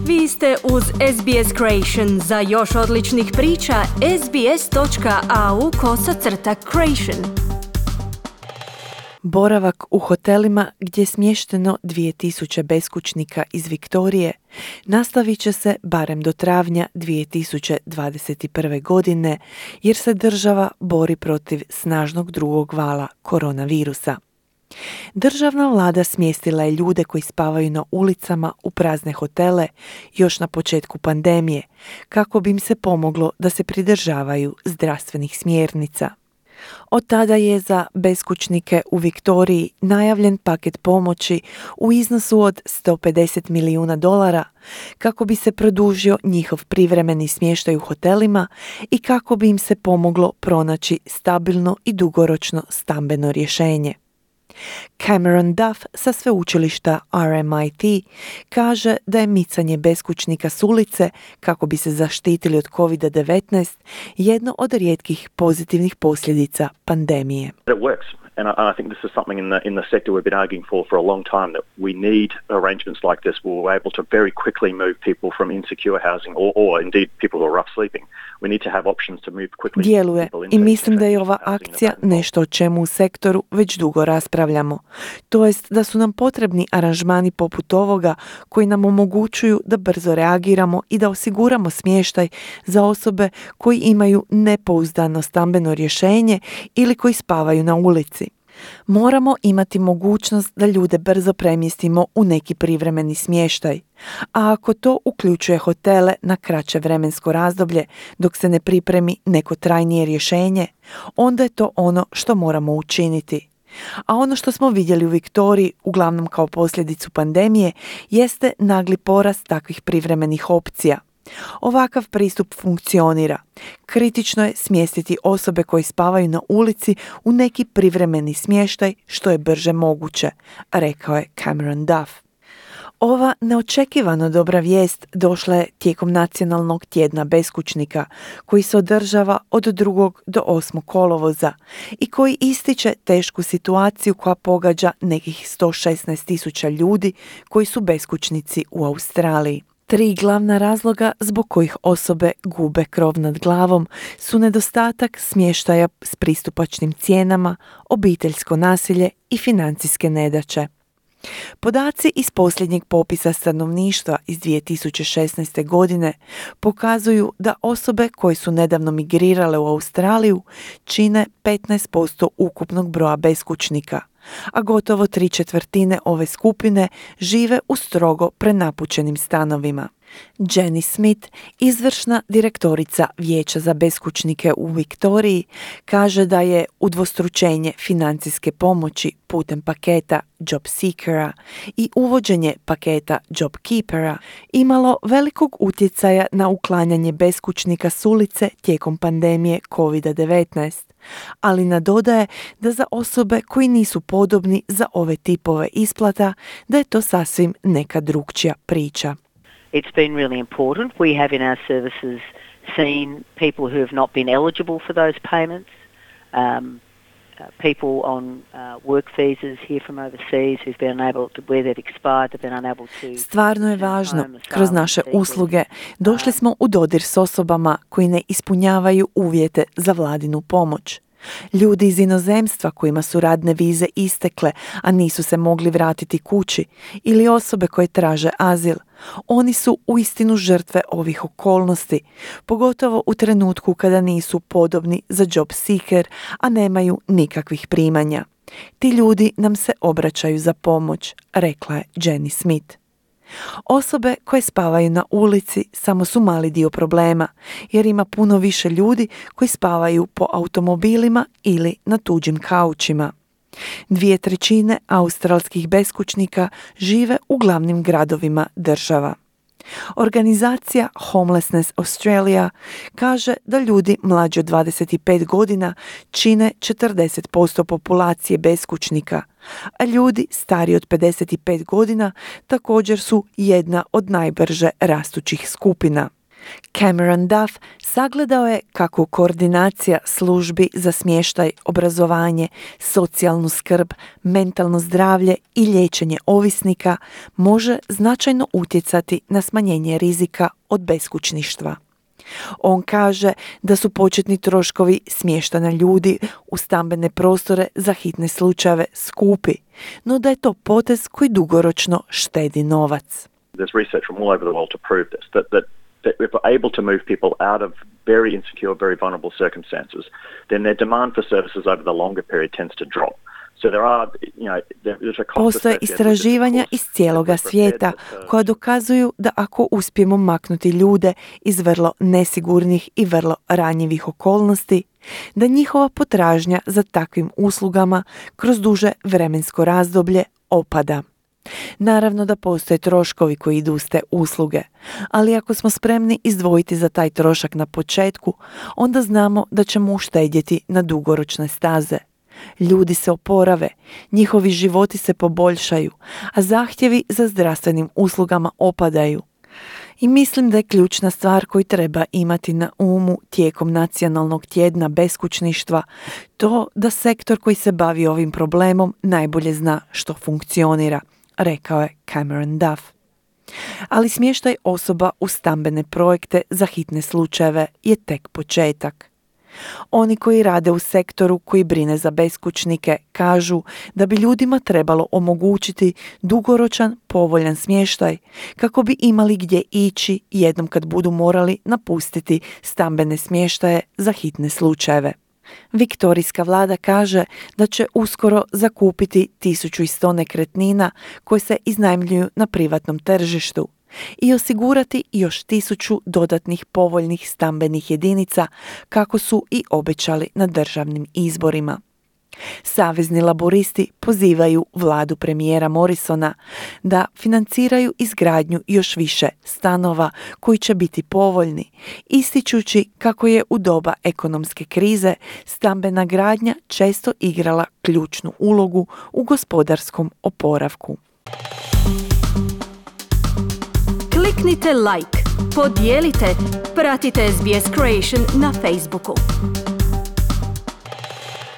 Vi ste uz SBS Creation. Za još odličnih priča, sbs.au/creation. Boravak u hotelima gdje je smješteno 2000 beskućnika iz Viktorije nastavit će se barem do travnja 2021. godine jer se država bori protiv snažnog drugog vala koronavirusa. Državna vlada smjestila je ljude koji spavaju na ulicama u prazne hotele još na početku pandemije kako bi im se pomoglo da se pridržavaju zdravstvenih smjernica. Od tada je za beskućnike u Viktoriji najavljen paket pomoći u iznosu od $150 milijuna kako bi se produžio njihov privremeni smještaj u hotelima i kako bi im se pomoglo pronaći stabilno i dugoročno stambeno rješenje. Cameron Duff sa sveučilišta RMIT kaže da je micanje beskućnika s ulice kako bi se zaštitili od COVID-19 jedno od rijetkih pozitivnih posljedica pandemije. It works. And I think this is something in the sector we've been arguing for a long time, that we need arrangements like this where we're able to very quickly move people from insecure housing or indeed people who are rough sleeping. We need to have options to move quickly. Djeluje i mislim da je ova akcija nešto o čemu u sektoru već dugo raspravljamo. To jest da su nam potrebni aranžmani poput ovoga koji nam omogućuju da brzo reagiramo i da osiguramo smještaj za osobe koji imaju nepouzdano stambeno rješenje ili koji spavaju na ulici. Moramo imati mogućnost da ljude brzo premjestimo u neki privremeni smještaj, a ako to uključuje hotele na kraće vremensko razdoblje dok se ne pripremi neko trajnije rješenje, onda je to ono što moramo učiniti. A ono što smo vidjeli u Viktoriji, uglavnom kao posljedicu pandemije, jeste nagli porast takvih privremenih opcija. Ovakav pristup funkcionira. Kritično je smjestiti osobe koje spavaju na ulici u neki privremeni smještaj što je brže moguće, rekao je Cameron Duff. Ova neočekivano dobra vijest došla je tijekom Nacionalnog tjedna beskućnika koji se održava od 2. do 8. kolovoza i koji ističe tešku situaciju koja pogađa nekih 116,000 ljudi koji su beskućnici u Australiji. 3 glavna razloga zbog kojih osobe gube krov nad glavom su nedostatak smještaja s pristupačnim cijenama, obiteljsko nasilje i financijske nedaće. Podaci iz posljednjeg popisa stanovništva iz 2016. godine pokazuju da osobe koje su nedavno migrirale u Australiju čine 15% ukupnog broja beskućnika, a gotovo 3/4 ove skupine žive u strogo prenapučenim stanovima. Jenny Smith, izvršna direktorica Vijeća za beskućnike u Viktoriji, kaže da je udvostručenje financijske pomoći putem paketa Job Seekera i uvođenje paketa Job Keepera imalo velikog utjecaja na uklanjanje beskućnika s ulice tijekom pandemije COVID-19, ali nadodaje da za osobe koji nisu podobni za ove tipove isplata, da je to sasvim neka drukčija priča. It's been really important. We have in our services seen people who have not been eligible for those payments, people on work visas here from overseas who've been unable to, where they've expired, they've been unable to... Stvarno je važno. Kroz naše usluge došli smo u dodir s osobama koji ne ispunjavaju uvjete za vladinu pomoć. Ljudi iz inozemstva kojima su radne vize istekle, a nisu se mogli vratiti kući, ili osobe koje traže azil. Oni su uistinu žrtve ovih okolnosti, pogotovo u trenutku kada nisu podobni za Job Seeker, a nemaju nikakvih primanja. Ti ljudi nam se obraćaju za pomoć, rekla je Jenny Smith. Osobe koje spavaju na ulici samo su mali dio problema, jer ima puno više ljudi koji spavaju po automobilima ili na tuđim kaučima. 2/3 australskih beskućnika žive u glavnim gradovima država. Organizacija Homelessness Australia kaže da ljudi mlađi od 25 godina čine 40% populacije beskućnika, a ljudi stariji od 55 godina također su jedna od najbrže rastućih skupina. Cameron Duff sagledao je kako koordinacija službi za smještaj, obrazovanje, socijalnu skrb, mentalno zdravlje i liječenje ovisnika može značajno utjecati na smanjenje rizika od beskućništva. On kaže da su početni troškovi smještanja ljudi u stambene prostore za hitne slučajeve skupi, no da je to potez koji dugoročno štedi novac. There's research from all over the world to prove this, that if we're able to move people out of very insecure, very vulnerable circumstances, then their demand for services over the longer period tends to drop. So there are, there's a cost. Postoje istraživanja iz cijeloga svijeta koja dokazuju da ako uspijemo maknuti ljude iz vrlo nesigurnih i vrlo ranjivih okolnosti, da njihova potražnja za takvim uslugama kroz duže vremensko razdoblje opada. Naravno da postoje troškovi koji idu uz te usluge, ali ako smo spremni izdvojiti za taj trošak na početku, onda znamo da ćemo uštedjeti na dugoročne staze. Ljudi se oporave, njihovi životi se poboljšaju, a zahtjevi za zdravstvenim uslugama opadaju. I mislim da je ključna stvar koju treba imati na umu tijekom Nacionalnog tjedna beskućništva to da sektor koji se bavi ovim problemom najbolje zna što funkcionira, rekao je Cameron Duff. Ali smještaj osoba u stambene projekte za hitne slučajeve je tek početak. Oni koji rade u sektoru koji brine za beskućnike kažu da bi ljudima trebalo omogućiti dugoročan, povoljan smještaj kako bi imali gdje ići jednom kad budu morali napustiti stambene smještaje za hitne slučajeve. Viktorijska vlada kaže da će uskoro zakupiti 1100 nekretnina koje se iznajmljuju na privatnom tržištu i osigurati još 1000 dodatnih povoljnih stambenih jedinica kako su i obećali na državnim izborima. Savezni laboristi pozivaju vladu premijera Morrisona da financiraju izgradnju još više stanova koji će biti povoljni, ističući kako je u doba ekonomske krize stambena gradnja često igrala ključnu ulogu u gospodarskom oporavku. Kliknite like, podijelite, pratite SBS Creation na Facebooku.